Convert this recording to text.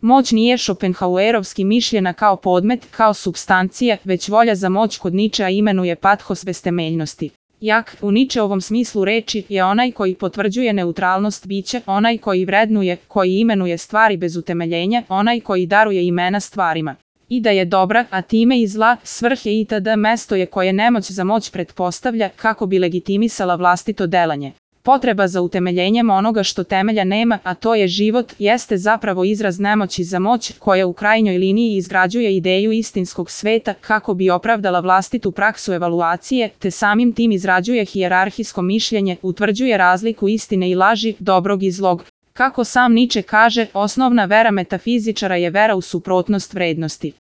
Moć nije Schopenhauerovski mišljena kao podmet, kao supstancija, već volja za moć kod Ničea imenuje pathos bez temeljnosti. Jak, u Ničeovom smislu reči, je onaj koji potvrđuje neutralnost bića, onaj koji vrednuje, koji imenuje stvari bez utemeljenja, onaj koji daruje imena stvarima. I da je dobra, a time i zla, svrhe itd. Mesto je koje nemoć za moć pretpostavlja kako bi legitimisala vlastito delanje. Potreba za utemeljenjem onoga što temelja nema, a to je život, jeste zapravo izraz nemoći za moć koja u krajnjoj liniji izgrađuje ideju istinskog sveta kako bi opravdala vlastitu praksu evaluacije, te samim tim izrađuje hijerarhijsko mišljenje, utvrđuje razliku istine i laži, dobrog i zlog. Kako sam Niče kaže, osnovna vera metafizičara je vera u suprotnost vrednosti.